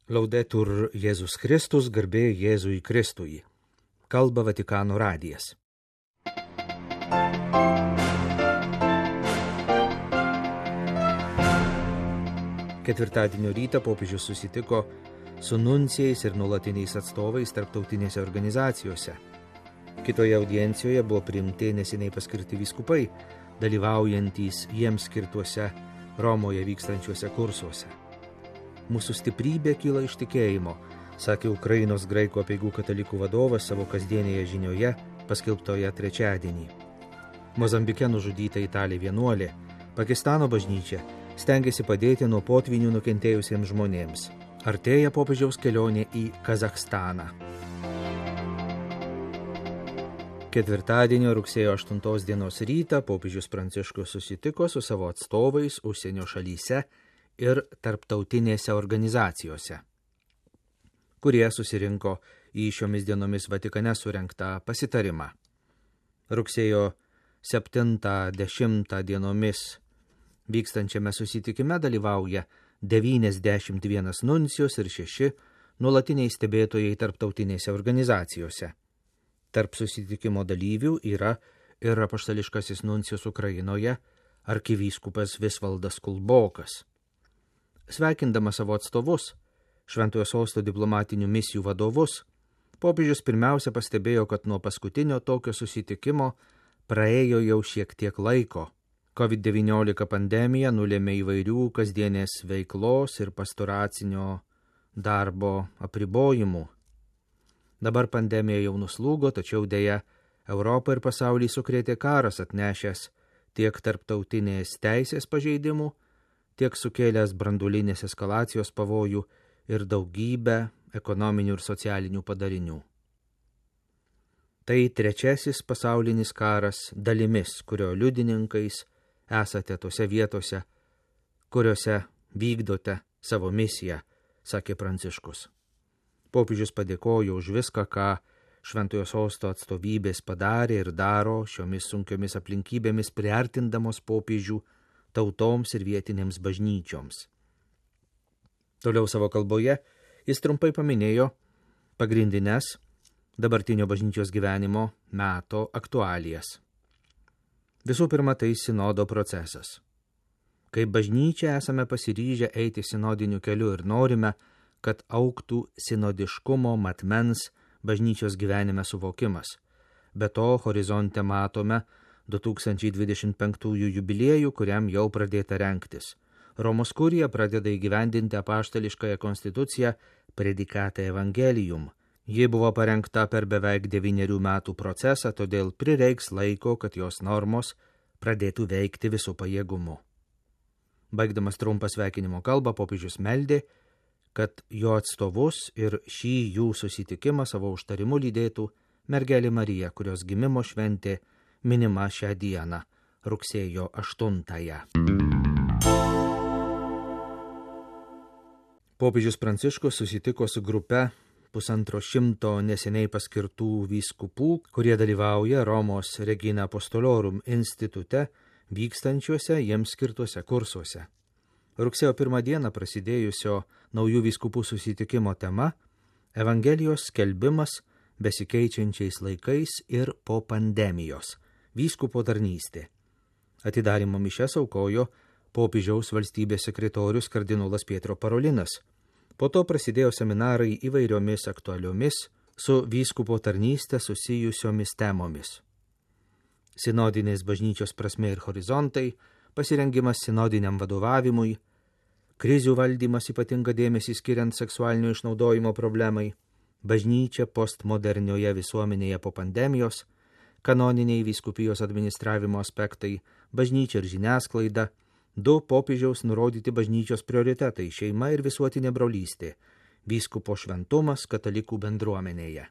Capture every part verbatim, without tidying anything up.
Laudetur Jėzus Kristus, garbė Jėzui Kristui. Kalba Vatikano radijas. Ketvirtadienio rytą popiežius susitiko su nuncijais ir nuolatiniais atstovais tarptautinėse organizacijose. Kitoje audiencijoje buvo priimti neseniai paskirti vyskupai, dalyvaujantys jiems skirtuose Romoje vykstančiuose kursuose. Mūsų stiprybė kyla iš tikėjimo, sakė Ukrainos graikų apeigų katalikų vadovas savo kasdienėje žinioje, paskelbtoje trečiadienį. Mozambike nužudyta italė vienuolė, Pakistano bažnyčia stengiasi padėti nuo potvynių nukentėjusiems žmonėms. Artėja popiežiaus kelionė į Kazachstaną. Ketvirtadienio rugsėjo aštuntos dienos rytą popiežius Pranciškus susitiko su savo atstovais užsienio šalyse ir tarptautinėse organizacijose, kurie susirinko į šiomis dienomis Vatikane surengtą pasitarimą. Rugsėjo septintą dešimtą dienomis vykstančiame susitikime dalyvauja devyniasdešimt vienas nuncijus ir šeši nuolatiniai stebėtojai tarptautinėse organizacijose. Tarp susitikimo dalyvių yra ir apaštališkasis nuncijus Ukrainoje, arkivyskupas Visvaldas Kulbokas. Sveikindamas savo atstovus, Šventojo Sosto diplomatinių misijų vadovus, popiežius pirmiausia pastebėjo, kad nuo paskutinio tokio susitikimo praėjo jau šiek tiek laiko. covid devyniolika pandemija nulėmė įvairių kasdienės veiklos ir pastoracinio darbo apribojimų. Dabar pandemija jau nuslūgo, tačiau dėja Europą ir pasaulį sukrėtė karas atnešęs tiek tarptautinės teisės pažeidimų, tiek sukėlęs branduolinės eskalacijos pavojų ir daugybę ekonominių ir socialinių padarinių. Tai trečiasis pasaulinis karas dalimis, kurio liudininkais esate tose vietose, kuriuose vykdote savo misiją, sakė Pranciškus. Popiežius padėkojo už viską, ką Šventojo Sosto atstovybės padarė ir daro šiomis sunkiomis aplinkybėmis priartindamos popiežių tautoms ir vietinėms bažnyčioms. Toliau savo kalboje jis trumpai paminėjo pagrindines dabartinio bažnyčios gyvenimo meto aktualijas. Visų pirma, tai sinodo procesas. Kaip bažnyčia esame pasiryžę eiti sinodiniu keliu ir norime, kad augtų sinodiškumo matmens bažnyčios gyvenime suvokimas. Be to, horizonte matome du tūkstančiai dvidešimt penktųjų jubiliejų, kuriam jau pradėta rengtis. Romos kurija pradeda įgyvendinti apaštališkąją konstituciją Predicate Evangelium. Ji buvo parengta per beveik devynerių metų procesą, todėl prireiks laiko, kad jos normos pradėtų veikti visų pajėgumu. Baigdamas trumpą sveikinimo kalbą, popiežius meldė, kad jo atstovus ir šį jų susitikimą savo užtarimu lydėtų mergelė Marija, kurios gimimo šventė minima šią dieną, rugsėjo aštuntąją. Popiežius Pranciškus susitiko su grupe pusantro šimto neseniai paskirtų vyskupų, kurie dalyvauja Romos Regina Apostolorum institute vykstančiuose jiems skirtuose kursuose. Rugsėjo pirmą dieną prasidėjusio naujų vyskupų susitikimo tema – Evangelijos skelbimas besikeičiančiais laikais ir po pandemijos – vyskupo tarnystė. Atidarymo mišias aukojo popiežiaus valstybės sekretorius kardinolas Pietro Parolinas. Po to prasidėjo seminarai įvairiomis aktualiomis su vyskupo tarnystė susijusiomis temomis. Sinodinės bažnyčios prasmė ir horizontai, pasirengimas sinodiniam vadovavimui, krizių valdymas ypatingą dėmesį skiriant seksualinio išnaudojimo problemai, bažnyčia postmodernioje visuomenėje po pandemijos, kanoniniai vyskupijos administravimo aspektai, bažnyčia ir žiniasklaida, du popiežiaus nurodyti bažnyčios prioritetai – šeima ir visuotinė brolystė, vyskupo šventumas katalikų bendruomenėje.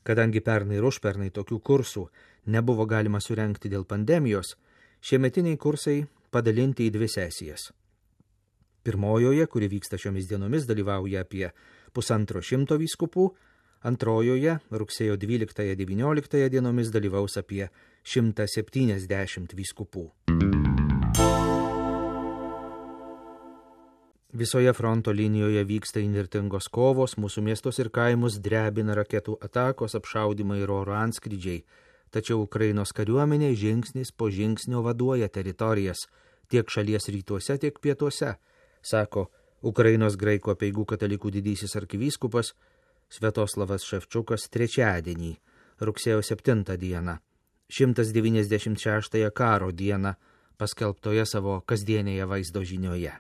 Kadangi pernai ir užpernai tokių kursų nebuvo galima surengti dėl pandemijos, šiemetiniai kursai padalinti į dvi sesijas. Pirmojoje, kuri vyksta šiomis dienomis, dalyvauja apie pusantro šimto vyskupų, antrojoje, rugsėjo dvyliktąją devynioliktąją dienomis dalyvaus apie šimtą septyniasdešimt vyskupų. Visoje fronto linijoje vyksta įnirtingos kovos, mūsų miestus ir kaimus drebina raketų atakos, apšaudimai ir oro antskrydžiai. Tačiau Ukrainos kariuomenė žingsnis po žingsnio vaduoja teritorijas tiek šalies rytuose, tiek pietuose, sako Ukrainos graikų apeigų katalikų didysis arkivyskupas Sviatoslavas Ševčiukas trečiadienį, rugsėjo septintą dieną, šimtas devyniasdešimt šeštąją karo dieną, paskelbtoje savo kasdienėje vaizdo žinioje.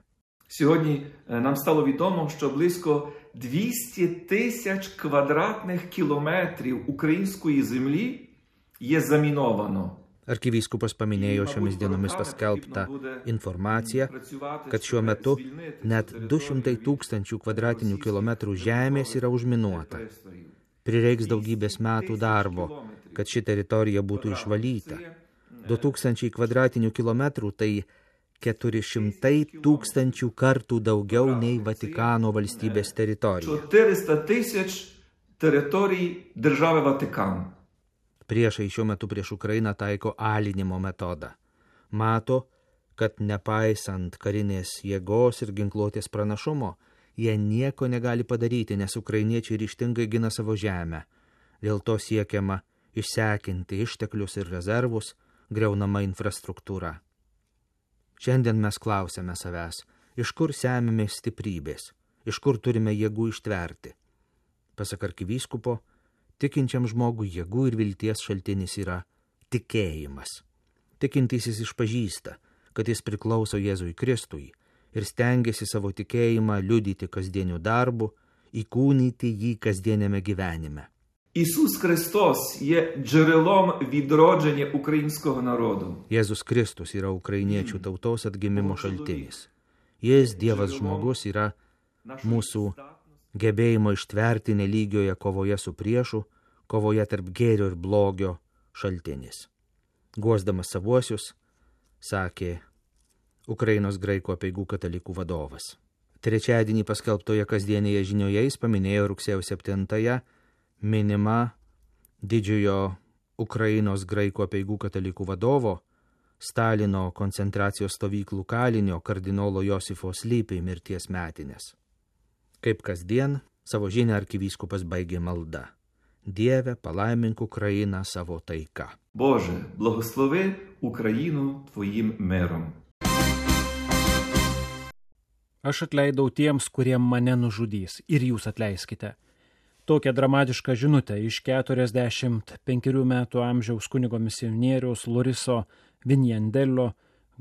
Сьогодні нам стало відомо, що близько двісті тисяч квадратних кілометрів української землі є заміновано. Arkivyskupas paminėjo šiomis dienomis paskelbtą informaciją, kad šiuo metu net du šimtai tūkstančių kvadratinių kilometrų žemės yra užminuota. Prireiks daugybės metų darbo, kad ši teritorija būtų išvalyta. du tūkstančiai kvadratinių kilometrų tai keturi šimtai tūkstančių kartų daugiau nei Vatikano valstybės teritorija. чотириста тисяч територій держави Ватикан. Priešai šiuo metu prieš Ukrainą taiko alinimo metodą. Mato, kad nepaisant karinės jėgos ir ginkluotės pranašumo, jie nieko negali padaryti, nes ukrainiečiai ryžtingai gina savo žemę. Dėl to siekiama išsekinti išteklius ir rezervus, griaunama infrastruktūra. Šiandien mes klausėme savęs, iš kur semiame stiprybės, iš kur turime jėgų ištverti. Pasak arkivyskupo, tikinčiam žmogui jėgų ir vilties šaltinis yra tikėjimas. Tikintysis išpažįsta, kad jis priklauso Jėzui Kristui ir stengiasi savo tikėjimą liudyti kasdieniu darbu, įkūnyti jį kasdieniame gyvenime. Ісус Христос є джерелом відродження українського народу. Jėzus Kristus yra ukrainiečių tautos atgimimo šaltinis. Jis, Dievas žmogus, yra mūsų gebėjimo ištverti nelygioje kovoje su priešu, kovoje tarp gėrio ir blogio šaltinis. Guosdamas savuosius, sakė Ukrainos graikų apeigų katalikų vadovas. Trečiadienį paskelbtoje kasdienėje žinioje jis paminėjo rugsėjo septintąją minima didžiojo Ukrainos graikų apeigų katalikų vadovo, Stalino koncentracijos stovyklų kalinio kardinolo Josifo Slypi mirties metinės. Kaip kasdien, savo žinią arkivyskupas baigė malda. Dieve, palaimink Ukrainą savo taika. Боже, благослови Україну Твоїм миром. Aš atleidau tiems, kurie mane nužudys, ir jūs atleiskite. Tokią dramatišką žinutę iš keturiasdešimt penkerių metų amžiaus kunigo misionieriaus Loriso Vinjandelio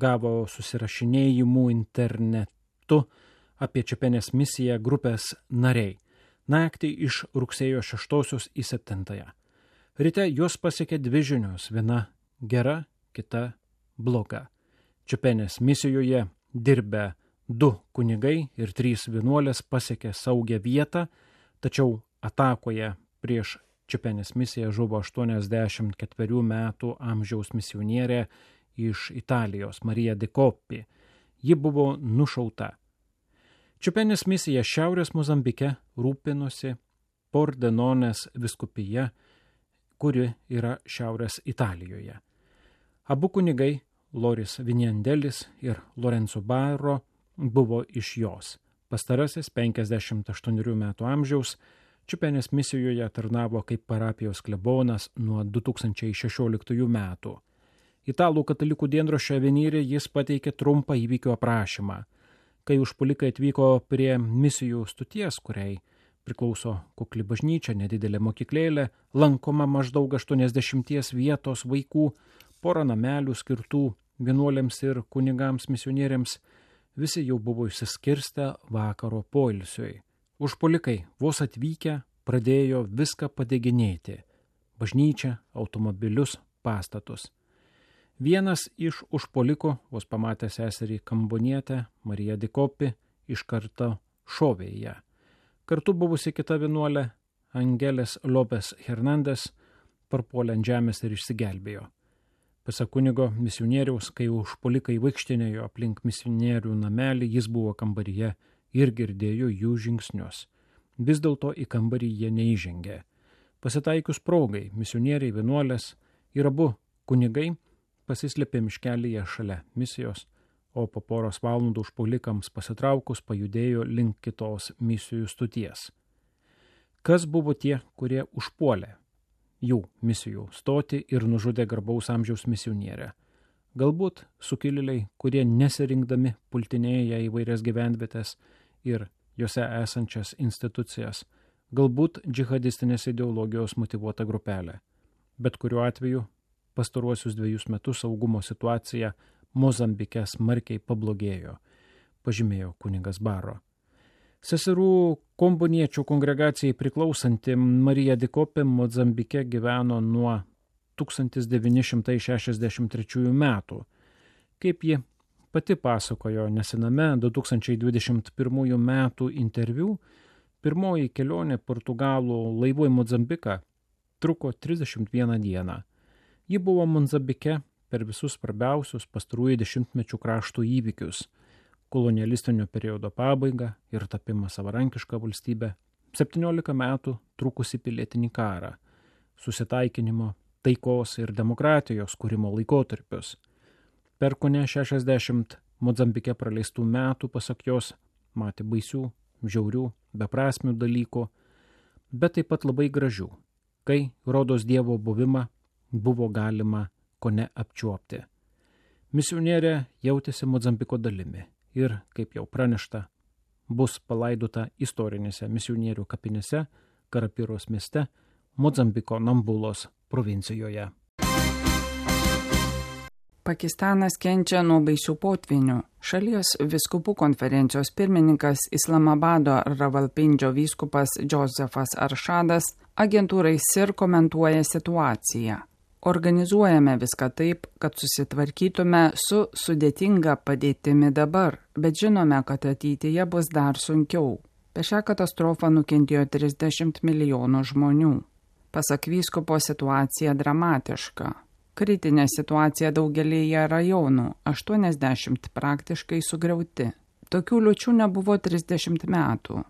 gavo susirašinėjimų internetu apie Čepenės misiją grupės nariai. Naktį iš rugsėjo šeštosios į septintąją. Ryte juos pasiekė dvi žinios, viena gera, kita bloga. Čepenės misijoje dirbę du kunigai ir trys vienuolės pasiekė saugią vietą, tačiau atakoje prieš Čepenės misiją žuvo aštuoniasdešimt ketverių metų amžiaus misionierė iš Italijos, Marija de Coppi. Ji buvo nušauta. Čepenės misija Šiaurės Mozambike rūpinosi Pordenonės vyskupija, kuri yra Šiaurės Italijoje. Abu kunigai, Loris Vinjandelis ir Lorenzo Barro, buvo iš jos. Pastarasis penkiasdešimt aštuonerių metų amžiaus Čepenės misijoje tarnavo kaip parapijos klebonas nuo du tūkstančiai šešioliktųjų metų. Italų katalikų dienraščio Avenire jis pateikė trumpą įvykio aprašymą. Kai užpuolikai atvyko prie misijų stoties, kuriai priklauso kukli bažnyčia, nedidelė mokyklėlė, lankoma maždaug aštuoniasdešimties vietos vaikų, pora namelių skirtų vienuolėms ir kunigams misionieriams, visi jau buvo išsiskirstę vakaro poilsiui. Užpuolikai vos atvykę pradėjo viską padeginėti – bažnyčią, automobilius, pastatus. Vienas iš užpuolikų, vos pamatę seserį Kambonietę, Mariją de Coppi, iš karto šovė į ją. Kartu buvusi kita vienuolė, Angelės Lopes Hernandes, parpuolė ant žemės ir išsigelbėjo. Pasak kunigo misionieriaus, kai užpuolikai vaikštinėjo aplink misionierių namelį, jis buvo kambaryje ir girdėjo jų žingsnius. Vis dėlto į kambarį jie neįžengė. Pasitaikius progai, misionieriai vienuolės ir abu kunigai pasislėpė miškelyje šalia misijos, o po poros valandų užpuolikams pasitraukus pajudėjo link kitos misijų stoties. Kas buvo tie, kurie užpuolė jų misijų stotį ir nužudė garbaus amžiaus misionierę? Galbūt sukilėliai, kurie nesirinkdami pultinėja įvairias gyvenvietės ir jose esančias institucijas, galbūt džihadistinės ideologijos motyvuota grupelė. Bet kuriuo atveju pastaruosius dviejus metus saugumo situacija Mozambike smarkiai pablogėjo, pažymėjo kunigas Baro. Seserų komboniečių kongregacijai priklausanti Marija Dikopė Mozambike gyveno nuo tūkstantis devyni šimtai šešiasdešimt trečiųjų metų. Kaip ji pati pasakojo nesename du tūkstančiai dvidešimt pirmųjų metų interviu, pirmoji kelionė Portugalų laivu į Mozambiką truko trisdešimt vieną dieną. Ji buvo Mozambike per visus svarbiausius pastarųjų dešimtmečių kraštų įvykius – kolonialistinio periodo pabaigą ir tapimą savarankišką valstybę, septyniolika metų trukusi pilietinį karą, susitaikinimo, taikos ir demokratijos kūrimo laikotarpius. Per kone šešiasdešimt Mozambike praleistų metų, pasak jos, matė baisių, žiaurių, beprasmių dalykų, bet taip pat labai gražių, kai rodos Dievo buvimą buvo galima kone apčiuopti. Misionierė jautėsi Mozambiko dalimi ir, kaip jau pranešta, bus palaidota istorinėse misionierių kapinėse Karapiros mieste, Mozambiko Nambulos provincijoje. Pakistanas kenčia nuo baisių potvinių. Šalies vyskupų konferencijos pirmininkas Islamabado Ravalpindžio vyskupas Džozefas Aršadas agentūrai S I R komentuoja situaciją. Organizuojame viską taip, kad susitvarkytume su sudėtinga padėtimi dabar, bet žinome, kad ateityje bus dar sunkiau. Per šią katastrofą nukentėjo trisdešimt milijonų žmonių. Pasak vyskupo, situacija dramatiška. Kritinė situacija daugelėje rajonų, aštuoniasdešimt praktiškai sugriauti. Tokių liūčių nebuvo trisdešimt metų.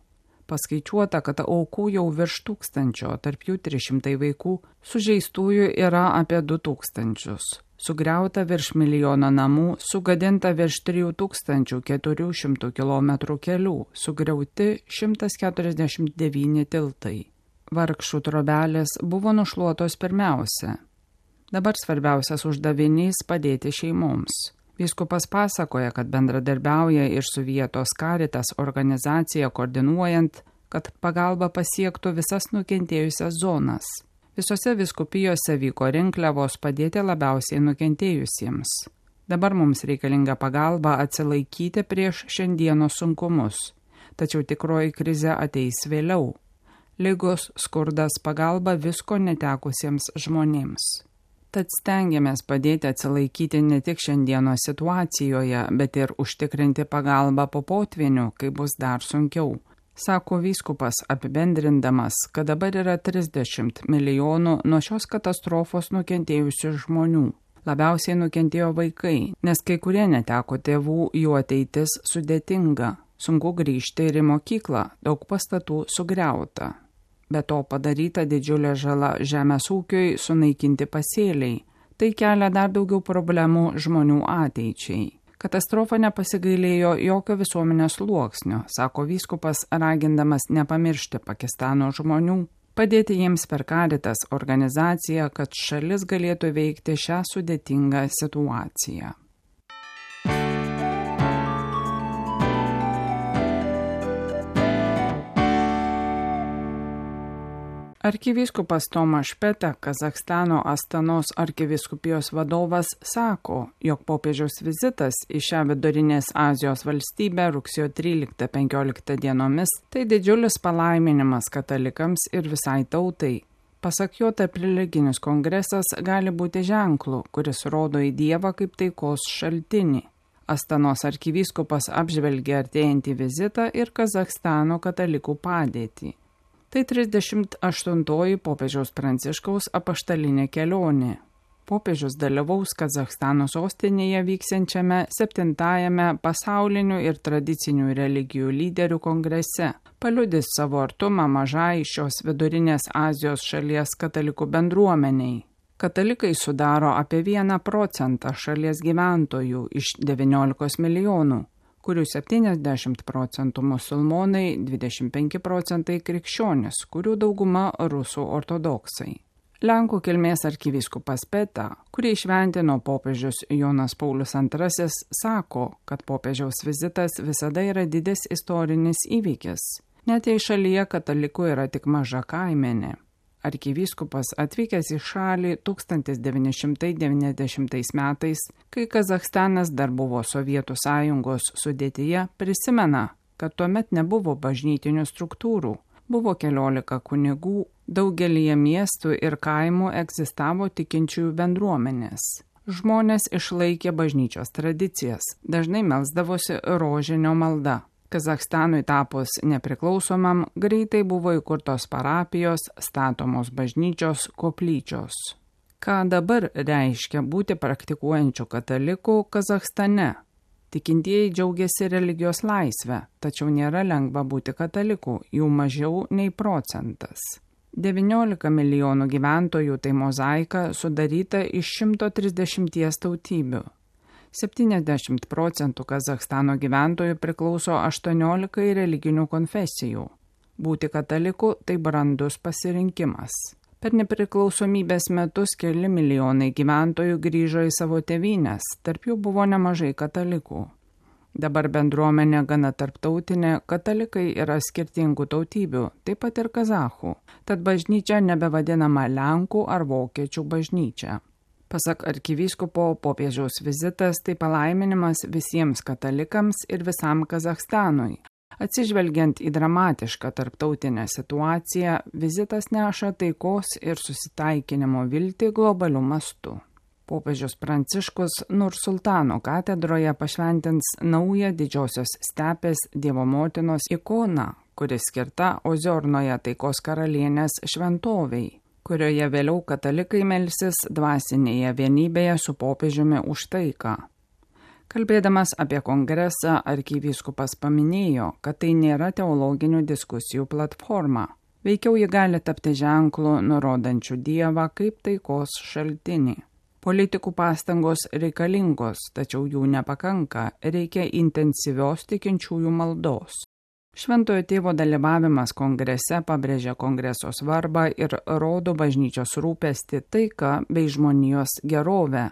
Paskaičiuota, kad aukų jau virš tūkstančio, tarp jų trys šimtai vaikų, sužeistųjų yra apie du tūkstančius. Sugriauta virš milijono namų, sugadinta virš trijų tūkstančių keturių šimtų kilometrų kelių, sugriauti šimtas keturiasdešimt devyni tiltai. Vargšų trobelės buvo nušluotos pirmiausia. Dabar svarbiausias uždavinys padėti šeimoms. Vyskupas pasakoja, kad bendradarbiauja ir su vietos Caritas organizacija koordinuojant, kad pagalba pasiektų visas nukentėjusias zonas. Visose vyskupijose vyko rinkliavos padėti labiausiai nukentėjusiems. Dabar mums reikalinga pagalba atsilaikyti prieš šiandienos sunkumus, tačiau tikroji krizė ateis vėliau. Ligos, skurdas, pagalba visko netekusiems žmonėms. Tad stengiamės padėti atsilaikyti ne tik šiandieno situacijoje, bet ir užtikrinti pagalbą po potvinių, kai bus dar sunkiau. Sako vyskupas apibendrindamas, kad dabar yra trisdešimt milijonų nuo šios katastrofos nukentėjusių žmonių. Labiausiai nukentėjo vaikai, nes kai kurie neteko tėvų, jų ateitis sudėtinga. Sunku grįžti ir į mokyklą, daug pastatų sugriauta. Be to padaryta didžiulė žala žemės ūkiui, sunaikinti pasėliai. Tai kelia dar daugiau problemų žmonių ateičiai. Katastrofa nepasigailėjo jokio visuomenės sluoksnio, sako vyskupas, ragindamas nepamiršti Pakistano žmonių, padėti jiems per Caritas organizaciją, kad šalis galėtų veikti šią sudėtingą situaciją. Arkivyskupas Tomaš Peta, Kazachstano Astanos arkivyskupijos vadovas, sako, jog popiežiaus vizitas į šią vidurinės Azijos valstybę rugsėjo tryliktą penkioliktą dienomis tai didžiulis palaiminimas katalikams ir visai tautai. Pasak jo, tarp religinis kongresas gali būti ženklu, kuris rodo į Dievą kaip taikos šaltinį. Astanos arkivyskupas apžvelgė artėjantį vizitą ir Kazachstano katalikų padėtį. Tai trisdešimt aštuntoji popiežiaus Pranciškaus apaštalinė kelionė. Popiežius dalyvaus Kazachstano sostinėje vyksiančiame septintajame pasaulinių ir tradicinių religijų lyderių kongrese, paliudys savo artumą mažai šios vidurinės Azijos šalies katalikų bendruomeniai. Katalikai sudaro apie vieną procentą šalies gyventojų iš devyniolikos milijonų, kurių septyniasdešimt procentų musulmonai, dvidešimt penki procentai krikščionis, kurių dauguma rusų ortodoksai. Lenkų kilmės arkivyskupas Peta, kurį šventino popiežius Jonas Paulius antrasis, sako, kad popiežiaus vizitas visada yra didis istorinis įvykis. Net jei šalyje katalikų yra tik maža kaimenė. Arkivyskupas atvykęs į šalį tūkstantis devyni šimtai devyniasdešimtais metais, kai Kazachstanas dar buvo Sovietų sąjungos sudėtyje, prisimena, kad tuomet nebuvo bažnytinių struktūrų, buvo keliolika kunigų, daugelyje miestų ir kaimų egzistavo tikinčiųjų bendruomenės. Žmonės išlaikė bažnyčios tradicijas, dažnai melsdavosi rožinio malda. Kazachstanui tapus nepriklausomam, greitai buvo įkurtos parapijos, statomos bažnyčios, koplyčios. Ką dabar reiškia būti praktikuojančių katalikų Kazachstane? Tikintieji džiaugiasi religijos laisvę, tačiau nėra lengva būti katalikų, jų mažiau nei procentas. devyniolika milijonų gyventojų tai mozaika sudaryta iš šimto trisdešimties tautybių. septyniasdešimt procentų Kazachstano gyventojų priklauso aštuoniolikai religinių konfesijų. Būti kataliku tai brandus pasirinkimas. Per nepriklausomybės metus keli milijonai gyventojų grįžo į savo tėvynes, tarp jų buvo nemažai katalikų. Dabar bendruomenė gana tarptautinė, katalikai yra skirtingų tautybių, taip pat ir kazachų, tad bažnyčia nebevadinama Lenkų ar Vokiečių bažnyčia. Pasak arkivyskupo, popiežiaus vizitas tai palaiminimas visiems katalikams ir visam Kazachstanui. Atsižvelgiant į dramatišką tarptautinę situaciją, vizitas neša taikos ir susitaikinimo viltį globaliu mastu. Popiežius Pranciškus Nursultano katedroje pašventins naują Didžiosios stepės Dievo motinos ikoną, kuri skirta Oziornoje taikos karalienės šventovei, kurioje vėliau katalikai melsis dvasinėje vienybėje su popiežiumi už taiką. Kalbėdamas apie kongresą, arkivyskupas paminėjo, kad tai nėra teologinių diskusijų platforma. Veikiau ji gali tapti ženklu, nurodančiu Dievą kaip taikos šaltinį. Politikų pastangos reikalingos, tačiau jų nepakanka, reikia intensyvios tikinčiųjų maldos. Šventojo tėvo dalyvavimas kongrese pabrėžia kongreso svarbą ir rodo bažnyčios rūpestį, taiką bei žmonijos gerovę.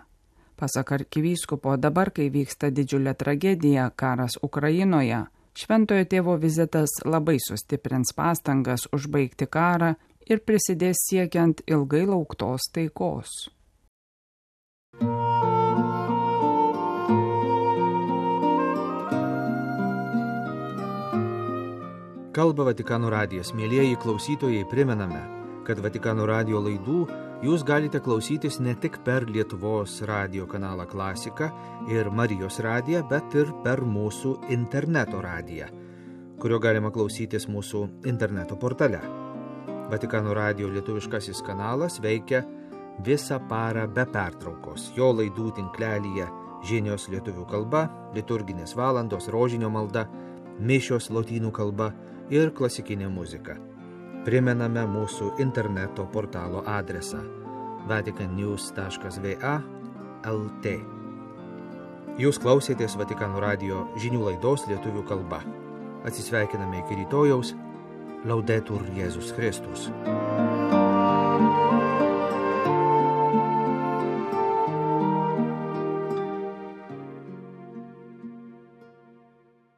Pasak arkivyskupo, dabar, kai vyksta didžiulė tragedija, karas Ukrainoje, šventojo tėvo vizitas labai sustiprins pastangas užbaigti karą ir prisidės siekiant ilgai lauktos taikos. Kalba Vatikano radijas. Mielieji klausytojai, primename, kad Vatikano radijo laidų jūs galite klausytis ne tik per Lietuvos radijo kanalą Klasika ir Marijos radiją, bet ir per mūsų interneto radiją, kurio galima klausytis mūsų interneto portale. Vatikano radijo lietuviškasis kanalas veikia visą parą be pertraukos. Jo laidų tinklelyje žinios lietuvių kalba, liturginės valandos, rožinio malda, mišios lotynų kalba ir klasikinė muzika. Primename mūsų interneto portalo adresą vatican news taškas v a taškas l t. Jūs klausėtės Vatikano radijo žinių laidos lietuvių kalba. Atsisveikiname iki rytojaus. Laudetur Jėzus Kristus.